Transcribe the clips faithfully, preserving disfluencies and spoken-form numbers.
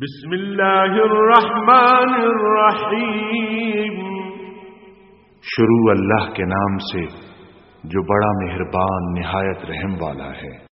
بسم اللہ الرحمن الرحیم۔ شروع اللہ کے نام سے جو بڑا مہربان نہایت رحم والا ہے۔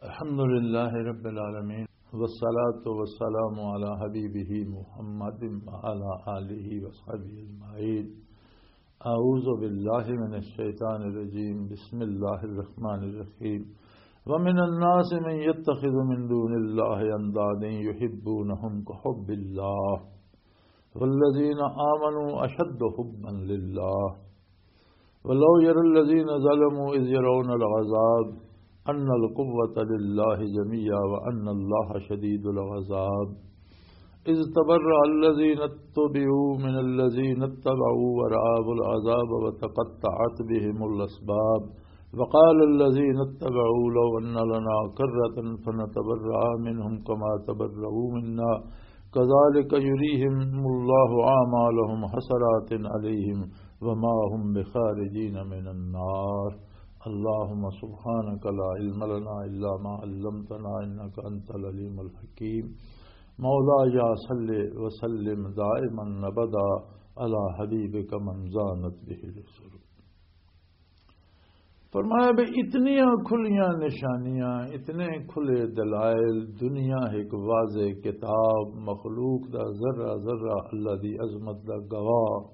الحمد لله رب العالمين، والصلاة والسلام على حبيبه محمد وعلى آله وصحبه أجمعين. أعوذ بالله من الشيطان الرجيم. بسم الله الرحمن الرحيم. ومن الناس من يتخذ من دون الله أندادا يحبونهم كحب الله والذين آمنوا أشد حبا لله. ولو يرى الذين ظلموا إذ يرون العذاب أن القوة لله جميعا وأن الله شديد العذاب. إذ تبرأ الذين اتبعوا من الذين اتبعوا ورأوا العذاب وتقطعت بهم الأسباب. وقال الذين اتبعوا لو أن لنا كرة فنتبرأ منهم كما تبرأوا منا كذلك يريهم الله أعمالهم حسرات عليهم وما هم بخارجين من النار. اللهم سبحانك لا علم لنا إلا ما علمتنا إنك أنت العليم الحكيم. مولاي صل وسلم دائما أبدا على حبيبك من زانت به العصر. فرمایا بھی اتنیاں کھلیاں نشانیاں، اتنے کھلے دلائل، دنیا ایک واضح کتاب، مخلوق دا ذرہ ذرہ اللہ دی عظمت دا گواہ۔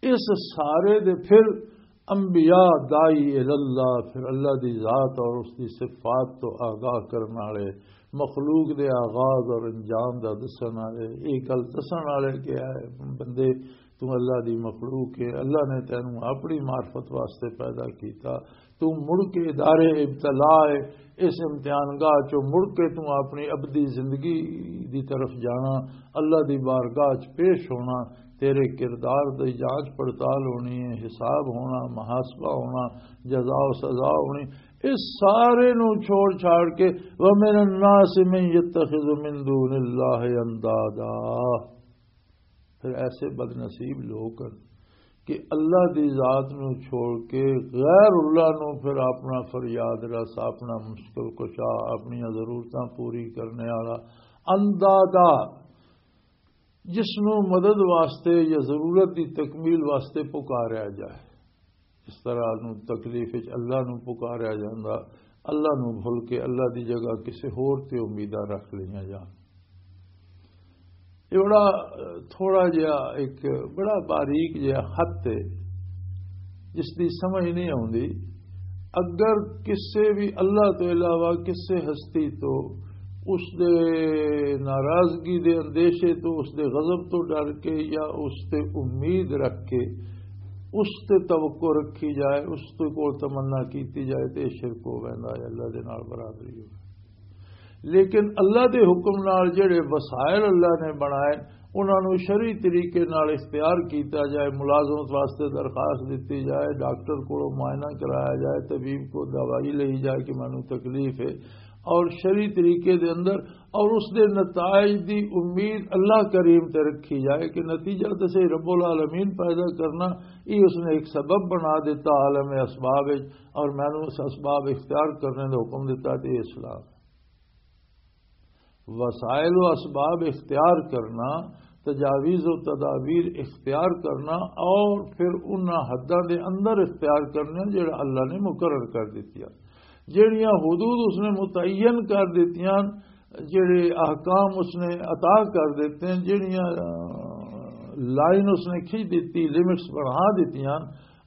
اس سارے دے پھر انبیاء داعی اللہ، پھر اللہ دی ذات اور اس دی صفات تو آگاہ کرن والے، مخلوق دے آغاز اور انجام دا دسن والے، یہ گل دسن والے کہ اے بندے، تو اللہ دی مخلوق ہے، اللہ نے تینوں اپنی معرفت واسطے پیدا کیتا، تو مڑ کے دار ابتلا ہے، اس امتحان گاہ چوں مڑ کے تو اپنی ابدی زندگی دی طرف جانا، اللہ دی بارگاہ چ پیش ہونا، تیرے کردار دی جانچ پڑتال ہونی ہے، حساب ہونا، محاسبہ ہونا، جزا و سزا ہونی۔ اس سارے نو چھوڑ چھاڑ کے، وَمِنَ النَّاسِ مَن يَتَّخِذُ مِن دُونِ اللَّهِ أَندَادًا۔ پھر ایسے بد نصیب لوگ ہیں کہ اللہ دی ذات نو چھوڑ کے غیر اللہ نو پھر اپنا فریاد رس، اپنا مشکل کشا، اپنی ضرورتاں پوری کرنے والا اندادہ، جس نو مدد واسطے یا ضرورت دی تکمیل واسطے پکاریا جائے، اس طرح نو تکلیف وچ اللہ نو پکاریا جاندا، اللہ نو بھول کے اللہ دی جگہ کسے ہور تے امیداں رکھ لئیاں جان۔ یہ بڑا، تھوڑا جہا ایک بڑا باریک جہا خط ہے، جس دی سمجھ نہیں آوندی۔ اگر کسے بھی اللہ تو علاوہ کسے ہستی تو اس دے ناراضگی دے اندیشے تو، اس دے غضب تو ڈر کے یا اس تے امید رکھ کے اس تے توقع رکھی جائے، اس تے کول تمنا کیتی جائے، تے شرک ہو ویندا ہے، اللہ دے نال برابری ہو۔ لیکن اللہ دے حکم نال جڑے وسائل اللہ نے بنائے، انہاں نوں شرعی طریقے نال اختیار کیتا جائے، ملازمت واسطے درخواست دتی جائے، ڈاکٹر کولوں معائنہ کرایا جائے، طبیب کو دوائی لئی جائے کہ مینوں تکلیف ہے، اور شرعی طریقے دے اندر اور اس دے نتائج دی امید اللہ کریم تے رکھی جائے کہ نتیجہ تے صحیح رب العالمین پیدا کرنا، یہ اس نے ایک سبب بنا دیتا عالم اسباب وچ، اور مینوں اس اسباب اختیار کرنے دا حکم دیتا تے اسلام۔ وسائل و اسباب اختیار کرنا، تجاویز و تدابیر اختیار کرنا، اور پھر انہاں حداں دے اندر اختیار کرنا جڑا اللہ نے مقرر کر دتیاں، جڑیاں حدود اس نے متعین کر دتیاں، جڑے احکام اس نے عطا کر دیتے ہیں، جڑیاں، آ، لائن اس نے کھینچ دیتی، لمٹس بڑھا دیتیاں،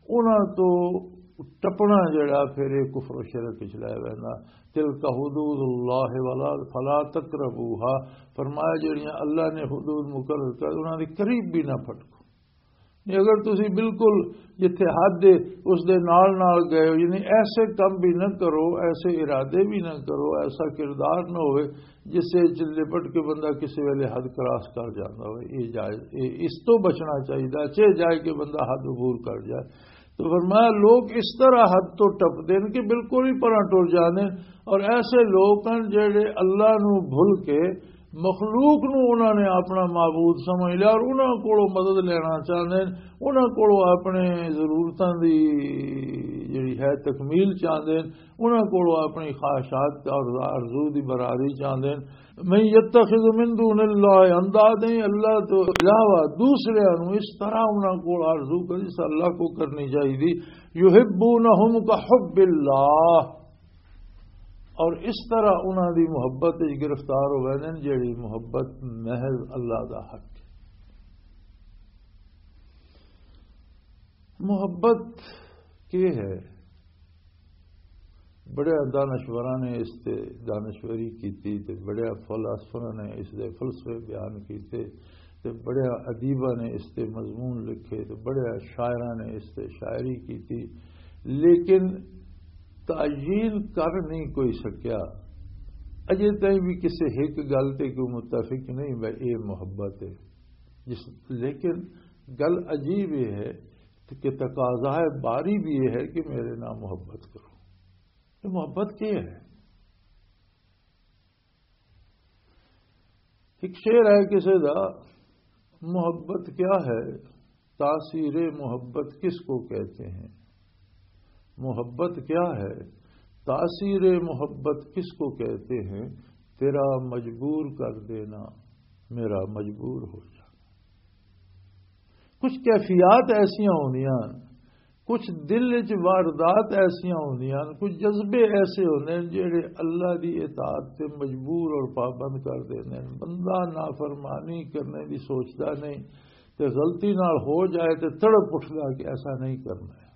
انہاں تو ٹپنا جڑا پھر یہ کفر و شرک وچ لے ویندا۔ تلک حدود اللہ ولا فلا تقربوها، فرمایا جڑیاں اللہ نے حدود مقرر کر، انہاں دے قریب بھی نہ پھٹکو۔ نہیں، اگر تسی بالکل جتھے حد ہے اس دے نال نال گئے ہو، یعنی ایسے کم بھی نہ کرو، ایسے ارادے بھی نہ کرو، ایسا کردار نہ ہوئے جس سے چ لپٹ کے بندہ کسی ویلے حد کراس کر جاتا ہوئے۔ یہ جائز، یہ اس تو بچنا چاہیے، چاہے جائے کہ بندہ حد عبور کر جائے۔ تو فرمایا، لوگ اس طرح حد تو ٹپدے ہیں کہ بالکل ہی پراں ٹر جاندے ہیں، اور ایسے لوگ ہیں جڑے اللہ نو بھول کے مخلوق نو انہاں نے اپنا معبود سمجھ لیا اور انہاں کولوں مدد لینا چاہندے نے، انہاں کولوں اپنے ضرورتاں دی جڑی ہے تکمیل چاہندے نے، انہاں کولوں اپنی خواہشات اور آرزو دی برابری چاہندے نے۔ من یتخذ من دون اللہ اندادا، اللہ تو علاوہ دوسرے نو اس طرح انہاں کول آرزو کر جس اللہ کو کرنی چاہیے۔ یحبونہم کحب اللہ، اور اس طرح انہاں دی محبت وچ گرفتار ہوئے نے، جڑی محبت محض اللہ دا حق ہے۔ محبت کی ہے؟ بڑے دانشوراں نے اس تے دانشوری کیتی تے بڑے فلاسفراں نے اس دے فلسفے بیان کیتے تے بڑے ادیباں نے اس تے مضمون لکھے تے بڑے شاعراں نے اس تے شاعری کیتی، لیکن تعین کر نہیں کوئی سکیا۔ اجے تائیں بھی کسے ایک گل تے کوئی متفق نہیں، میں اے محبت ہے۔ جس، لیکن گل عجیب یہ ہے کہ تقاضا باری بھی یہ ہے کہ میرے نال محبت کرو۔ یہ محبت کیا ہے؟ ایک شعر ہے کسی دا، محبت کیا ہے؟ تاثیر محبت کس کو کہتے ہیں؟ محبت کیا ہے؟ تاثیر محبت کس کو کہتے ہیں؟ تیرا مجبور کر دینا، میرا مجبور ہو جانا۔ کچھ کیفیات ایسیاں ہوندیاں، کچھ دل وچ واردات ایسیاں ہوندیاں، کچھ جذبے ایسے ہوندے نے جڑے اللہ دی اطاعت تے مجبور اور پابند کر دیندے نے۔ بندہ نافرمانی کرنے دی سوچدا نہیں تے غلطی نال ہو جائے تے تڑپ اٹھدا کہ ایسا نہیں کرنا ہے۔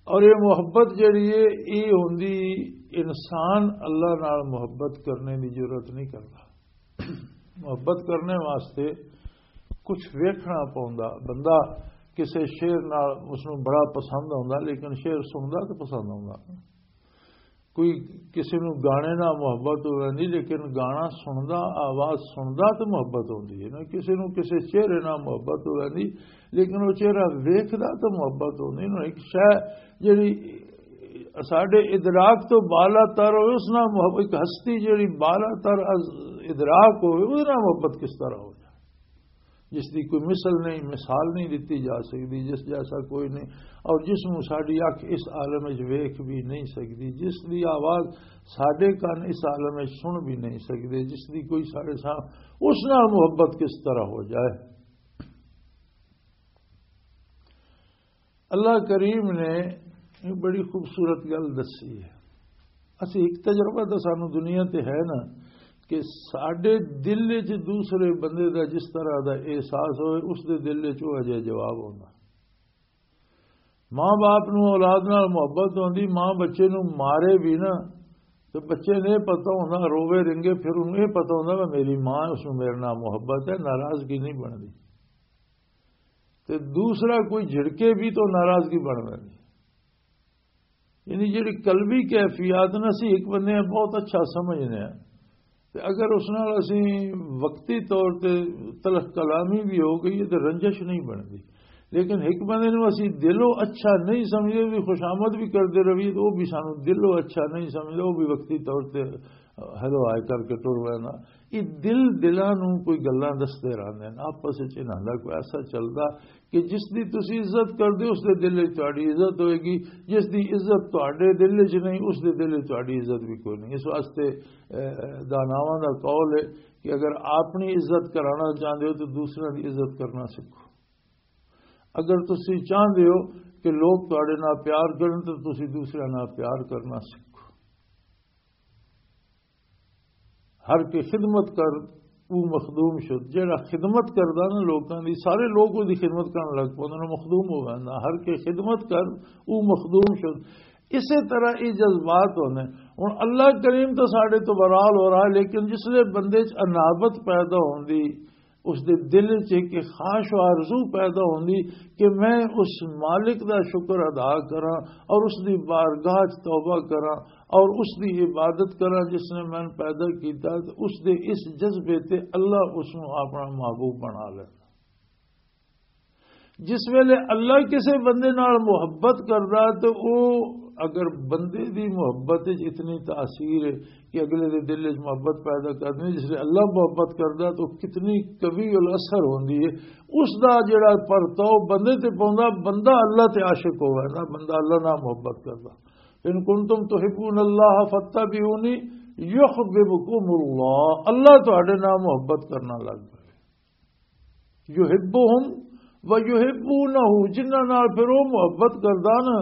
اور یہ محبت جڑی ہے، یہ ہوندی، انسان اللہ نال محبت کرنے دی جرات نہیں کرتا۔ محبت کرنے واسطے کچھ ویکھنا پوندا۔ بندہ کسے شعر نال اس نوں بڑا پسند ہوندا، لیکن شعر سندا تو پسند ہوندا۔ کوئی کسی نوں گانے نال محبت ہو ویندی، لیکن گانا سندا، آواز سندا تو محبت ہوندی ہے نا۔ کسی نوں کسی چہرے نال محبت ہو ویندی، لیکن وہ چہرہ ویکھدا تو محبت ہوندی نا۔ ایک شے جڑی ساڈے ادراک تو بالا تر ہوئے، اس نال محبت، ایک ہستی جڑی بالا تر از ادراک ہوئے، اس نال محبت کس طرح ہو جائے؟ جس دی کوئی مثل نہیں، مثال نہیں دتی جا سکتی، جس جیسا کوئی نہیں، اور جس نوں ساڈی اکھ اس عالم وچ ویکھ بھی نہیں سکتی، جس دی آواز ساڈے کان اس عالم وچ سن بھی نہیں سکتے، جس دی کوئی ساڈے سامنے، اس نال محبت کس طرح ہو جائے؟ اللہ کریم نے ایک بڑی خوبصورت گل دسی ہے۔ اسی ایک تجربہ تو سانو دنیا تے ہے نا، کہ ساڈے دل وچ دوسرے بندے دا جس طرح دا احساس ہوئے، اس دے دل وچ وہ اجے جواب ہونا۔ ماں باپ نو اولاد نال محبت ہوندی، ماں بچے نو مارے بھی نا، تو بچے نے پتہ ہوندا، روے رنگے، پھر انہوں یہ پتہ ہوندا کہ میری ماں ہے، اس نو میرے نال محبت ہے، ناراضگی نہیں بندی۔ تے دوسرا کوئی جھڑکے بھی تو ناراضگی بن ویندی۔ یعنی جڑی قلبی کیفیات نہ سی، ایک بندے بہت اچھا سمجھنے ہیں، تے اگر اس نال اسی وقتی طور تے تلخ کلامی بھی ہو گئی ہے تو رنجش نہیں بندی۔ لیکن ایک بندے نو اسی دلوں اچھا نہیں سمجھے، بھی خوشامد بھی کرتے رہیے، تو وہ بھی سانو دلوں اچھا نہیں سمجھے، وہ بھی وقتی طور تے ہلو آئے کر کے ٹر وینا۔ یہ دل دلاں نو کوئی گلاں دستے رہندے نے، آپس وچ انہاں دا کوئی ایسا چلدا کہ جس دی تسی عزت کردے، اس دے دل وچ تہاڈی عزت ہوئے گی، جس دی عزت تہاڈے دل وچ نہیں، اس دے دل وچ تہاڈی عزت بھی کوئی نہیں۔ اس واسطے، اے، داناواں دا قول ہے کہ اگر اپنی عزت کرانا چاہندے ہو تو دوسرے دی عزت کرنا سکھو۔ اگر تسی چاہندے ہو کہ لوگ تہاڈے نال پیار کرن تو تسی دوسرے نال پیار کرنا سکھو۔ ہر کے خدمت کر، او مخدوم شد۔ جڑا خدمت کردا نا لوکاں دی، سارے لوگ او دی خدمت کرن لگ پوندے نے، مخدوم ہو ویندا۔ ہر کے خدمت کر، او مخدوم شد۔ اسے طرح یہ جذبات ہوندے۔ ہن اللہ کریم تو ساڈے تو برال ہو رہا ہے، لیکن جس لے بندے چ انابت پیدا ہوندی، اس دے دل چ ایک خواہش و آرزو پیدا ہوندی کہ میں اس مالک دا شکر ادا کراں اور اس دی بارگاہ چ توبہ کراں اور اس دی عبادت کراں جس نے میں پیدا کیتا، تے اس دے اس جذبے تے اللہ اس نو اپنا محبوب بنا لے۔ جس ویلے اللہ کسے بندے نال محبت کردا تے او اگر بندے دی محبت وچ اتنی تاثیر ہے کہ اگلے دے دل وچ محبت پیدا کر دے، جس لئے اللہ محبت کردا تو کتنی قوی الاثر ہوندی ہے، اس دا جڑا پرتاؤ بندے تے پوندا، بندہ اللہ تے عاشق ہووے نا، بندہ اللہ نال محبت کردا۔ ان کنتم تحبون اللہ فاتبعونی یحببکم اللہ، اللہ تہاڈے نال محبت کرنا لگ پے۔ یحبہم و یحبونہ، جنہاں نال پھر وہ محبت کردا نا،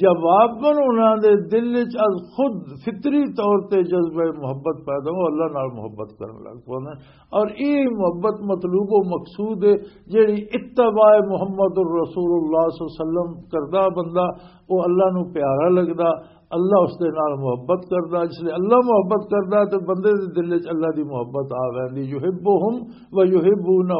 جواباً انہاں دے دل وچ از خود فطری طور تے جذبہ محبت پیدا ہو، اللہ نال محبت کرن لگ پوندے۔ اور یہ محبت مطلوب و مقصود ہے، جیڑی اتباع محمد الرسول اللہ صلی اللہ علیہ وسلم کردا بندہ، وہ اللہ نو پیارا لگدا، اللہ اس دے نال محبت کردا۔ جس لئے اللہ محبت کردا تے بندے دے دل وچ اللہ دی محبت آ ویندی۔ یحبہم و یحبونہ،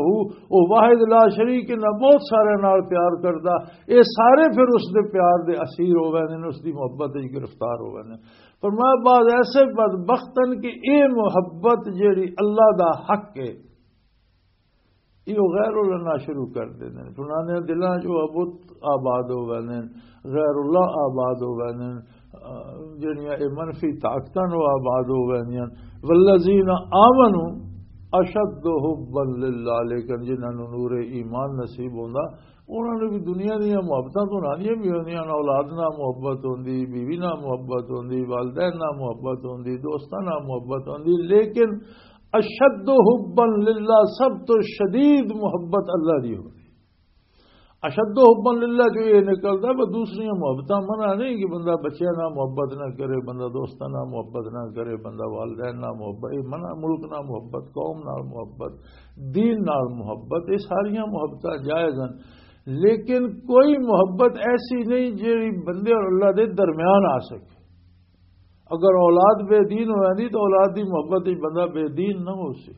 او واحد لا شریک، انہاں بہت سارے نال پیار کردا، اے سارے پھر اس دے پیار دے اسیر ہو ویندے نے، اس دی محبت وچ گرفتار ہو ویندے نے۔ فرمایا، بعض ایسے بدبخت ہن کہ اے محبت جیڑی اللہ دا حق ہے، یہ غیر اللہ نال شروع کر دیندے نے۔ انہاں دے دلاں چ وہ بت آباد ہو ویندے نے، غیر اللہ آباد ہو ویندے نے، آ، جڑیاں اے منفی طاقتاں نو آباد ہو ویندیاں۔ والذین آمنوا اشد حبا للہ، لیکن جنہاں نو نور ایمان نصیب ہوندا، انہاں نوں بھی دنیا دیاں محبتاں تو نہ دیاں بھی ہوندیاں، اولاد نال محبت ہوندی، بیوی نال محبت ہوندی، والدین نال محبت ہوندی، دوستاں نال محبت ہوندی، لیکن اشد حبا للہ، سب تو شدید محبت اللہ دی ہوندی۔ اشد حبا للہ جو یہ نکلدا، وہ دوسریاں محبتاں منع نہیں کہ بندہ بچیاں نال محبت نہ کرے، بندہ دوستاں نال محبت نہ کرے، بندہ والدین نال محبت، یہ منع، ملک نال محبت، قوم نال محبت، دین نال محبت، یہ ساریاں محبتاں جائز ہیں۔ لیکن کوئی محبت ایسی نہیں جیڑی بندے اور اللہ دے درمیان آ سکے۔ اگر اولاد بے دین ہو جاندی تو اولاد دی محبت وچ بندہ بے دین نہ ہو سی۔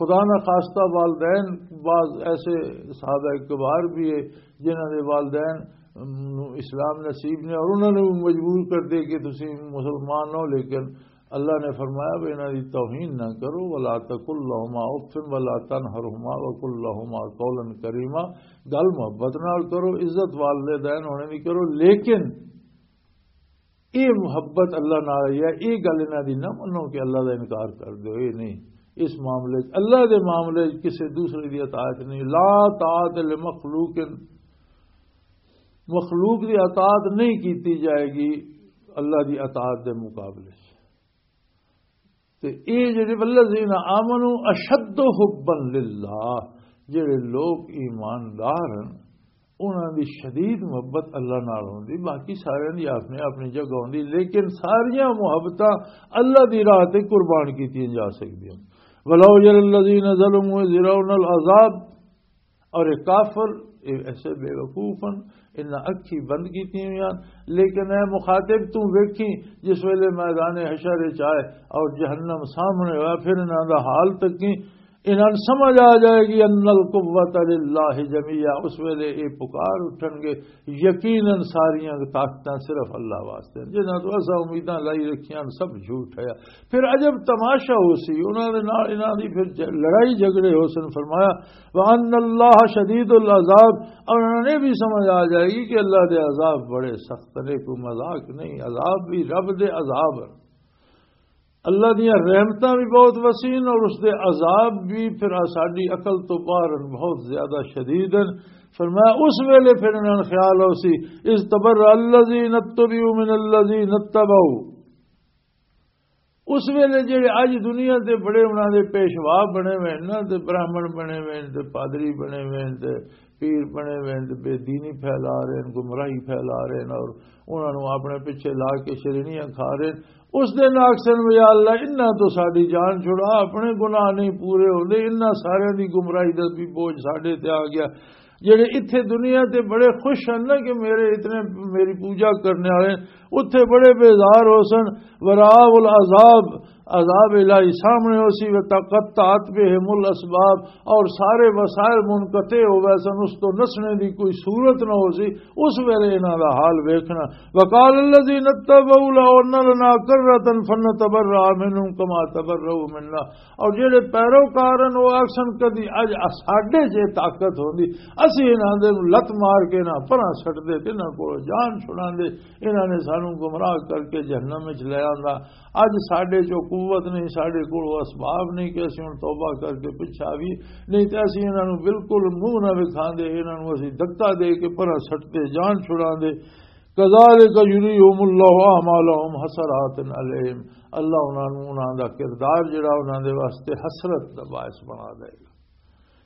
خدا نہ خواستہ والدین، بعض ایسے صحابہ کبار بھی ہے جنہاں دے والدین نوں اسلام نصیب نے اور انہاں نے بھی مجبور کر دے کہ تسی مسلمان ہو، لیکن اللہ نے فرمایا بھی انہاں دی توہین نہ کرو، ولا تقل لهما اف ولا تنهرهما وقل لهما قولا کریما، گل محبت نال کرو، عزت والدین ہونے دی کرو، لیکن یہ محبت اللہ نال ہے، یہ گل انہاں دی نہ منو کہ اللہ دا انکار کر دو، یہ نہیں۔ اس معاملے چ، اللہ دے معاملے چ کسے دوسرے دی اطاعت نہیں۔ لا طاعت لمخلوق، مخلوق دی اطاعت نہیں کیتی جائے گی اللہ دی اطاعت دے مقابلے چ۔ تے اے جڑے والذین آمنوا اشد حبا للہ، جڑے لوگ ایماندار ہیں، انہاں دی شدید محبت اللہ نال ہوندی، باقی ساریاں دی اپنی اپنی جگہ ہوندی، لیکن ساریاں محبتاں اللہ دی راہ تے قربان کیتیاں جا سکدیاں۔ ولو یری الذین ظلموا اذ یرون العذاب، اور یہ کافر، یہ ایسے بے وقوف ہیں، انہاں اکھی بند کیتی ہوئی ہیں۔ لیکن اے مخاطب، تو ویکھی جس ویلے میدان حشر وچ آئے اور جہنم سامنے ہوا، پھر انہاں دا حال تکی، انہاں نوں سمجھ آ جائے گی، ان القوۃ للہ جمیعا۔ اس ویلے یہ پکار اٹھن گے، یقیناً ساریاں طاقتاں صرف اللہ واسطے ہیں۔ جنہاں تو اساں امیداں لائی رکھیاں، سب جھوٹ ہے۔ پھر عجب تماشا ہو سی، انہاں دے نال انہاں دی پھر ج-، لڑائی جھگڑے ہو سن۔ فرمایا، وَأَنَّ اللَّهَ شَدِيدُ الْعَذَابِ، اور انہاں نے بھی سمجھ آ جائے گی کہ اللہ دے عذاب بڑے سخت نے، کوئی مذاق نہیں، عذاب بھی رب دے عذاب ہیں۔ اللہ دیاں رحمتاں بھی بہت وسیع ہیں اور اس دے عذاب بھی پھر ساڈی عقل تو باہر ہیں، بہت زیادہ شدید ہیں۔ فرمایا، اس ویلے پھر انہاں نوں خیال ہو سی، اذ تبرأ الذین اتبعوا من الذین اتبعوا۔ اس ویلے جڑے اج دنیا دے بڑے انہاں دے پیشوا بنے ہوئے ہیں نا، تے براہمن بنے ہوئے ہیں، تے پادری بنے ہوئے ہیں، تے پیر بنے ہوئے ہیں، تے بے دینی پھیلا رہے ہیں، گمراہی پھیلا رہے ہیں، اور انہاں نوں اپنے پیچھے لا کے شرینیاں کھا رہے ہیں۔ اس دن آکھسن، یا اللہ، انہاں تو ساڈی جان چھڑا، اپنے گناہ نہیں پورے ہوندے، انہاں سارے دی گمراہی دا بھی بوجھ ساڈے تے آ گیا۔ جڑے اتھے دنیا تے بڑے خوش ہیں نا کہ میرے اتنے، میری پوجا کرنے والے، اتھے بڑے بیزار ہو سن۔ ورأوا العذاب، عذاب الہی سامنے ہو سی، وتقطعت بهم الاسباب، اور سارے وسائل منقطع ہو گئے سن، اس تو نسنے دی کوئی صورت نہ ہو سی، اس ویلے انہاں دا حال ویکھنا۔ وقال الذين اتبعوا لو ان لنا كرة فنتبرأ منهم كما تبرأوا منا، اور جڑے پیروکار ہیں وہ آکھسن کدی اج ساڈے جے طاقت ہوندی، اسی انہاں دے نوں لت مار کے نہ پراں سٹ دے تے انہاں کول جان چھڑاندے، انہاں نے سانوں گمراہ کر کے جہنم وچ لے آندا۔ اج ساڈے چوں قوت نہیں، ساڈے کول اسباب نہیں کہ اسی ہن توبہ کر کے پچھا بھی نہیں، تے اسی انہاں نوں بالکل منہ نہ وکھاندے، انہاں نوں اسی دھکا دے کے پراں سٹتے جان چھڑاندے۔ کذالک یریہم اللہ اعمالہم حسرات علیہم، اللہ انہاں نوں، انہاں دا کردار جڑا انہاں دے واسطے حسرت دا باعث بنا دے گا۔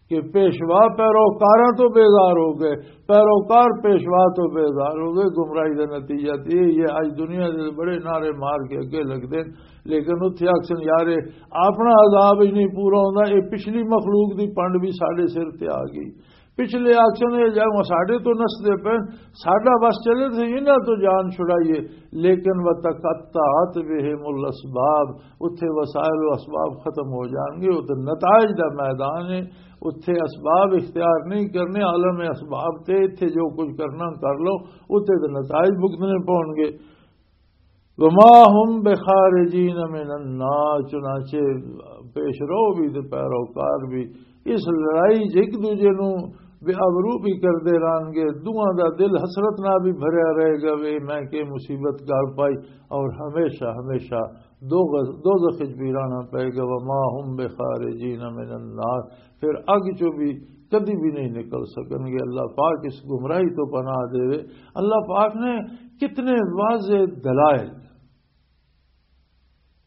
کہ پیشوا پیروکاراں تو بیزار ہو گئے، پیروکار پیشوا تو بیزار ہو گئے۔ گمراہی دا نتیجہ تے یہ ہے، اج دنیا دے بڑے نعرے مار کے اگے لگدے نے، لیکن اتھے آکھن، "یار، اے اپنا عذاب ہی نہیں پورا ہوندا، اے پچھلی مخلوق دی پنڈ بھی ساڈے سر تے آ گئی۔" پچھلے آکھن، "اے جا ساڈے تو نسدے پے، ساڈا بس چلے تے انہاں تو جان چھڑائیے۔" لیکن وتقطعت بهم الاسباب، اتھے وسائل و اسباب ختم ہو جان گے۔ اتھے نتائج دا میدان ہے، اتھے اسباب اختیار نہیں کرنے، عالم اسباب تے اتھے جو کچھ کرنا کر لو، اتھے تے نتائج بھگتنے پون گے۔ وما هم بخارجین من النار، چنانچہ پیش رو بھی تے پیروکار بھی اس لڑائی چ ایک دوجے نوں بے آبرو بھی کردے رہن گے، دوواں دا دل حسرت نال بھی بھریا رہے گا، وے میں کہ مصیبت گال پائی، اور ہمیشہ ہمیشہ دوغ-، دوزخ وچ بھی رہنا پئے گا۔ وما هم بخارجین من النار، پھر اگ چوں بھی کدی بھی نہیں نکل سکن گے۔ اللہ پاک اس گمراہی تو پناہ دے۔ اللہ پاک نے کتنے واضح دلائل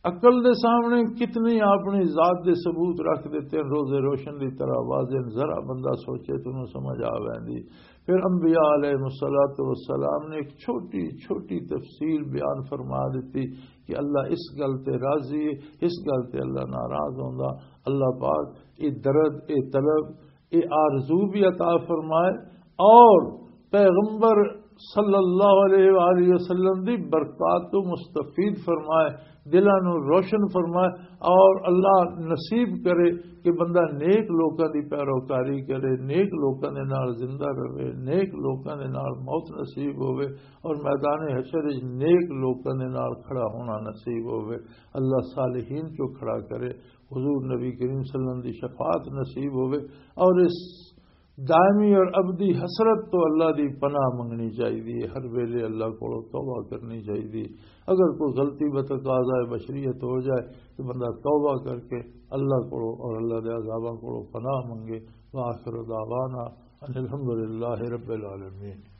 عقل دے سامنے، کتنی اپنی ذات دے ثبوت رکھ دیتے ہیں، روزے روشن دی طرح واضح۔ ذرا بندہ سوچے تو انہوں سمجھ آ ویندی۔ پھر انبیاء علیہ الصلوۃ والسلام نے ایک چھوٹی چھوٹی تفصیل بیان فرما دیتی کہ اللہ اس گل تے راضی ہے، اس گل تے اللہ ناراض ہوندا۔ اللہ پاک یہ درد، یہ طلب، یہ آرزو بھی عطا فرمائے، اور پیغمبر صلی اللہ علیہ وآلہ وسلم دی برکات تو مستفید فرمائے، دلاں نوں روشن فرمائے، اور اللہ نصیب کرے کہ بندہ نیک لوکاں دی پیروکاری کرے، نیک لوکاں دے نال زندہ رہے، نیک لوکاں دے نال موت نصیب ہوئے، اور میدان حشر وچ نیک لوکاں دے نال کھڑا ہونا نصیب ہوئے۔ اللہ صالحین چوں کھڑا کرے، حضور نبی کریم صلی اللہ علیہ وسلم دی شفاعت نصیب ہوئے، اور اس دائمی اور ابدی حسرت تو اللہ دی پناہ منگنی چاہیے، ہر ویلے اللہ کو توبہ کرنی چاہیے۔ اگر کوئی غلطی بتقاضا بشریت ہو جائے تو بندہ توبہ کر کے اللہ کو اور اللہ دے عذاباں کو پناہ منگے۔ وآخر دعوانا ان الحمدللہ رب العالمین۔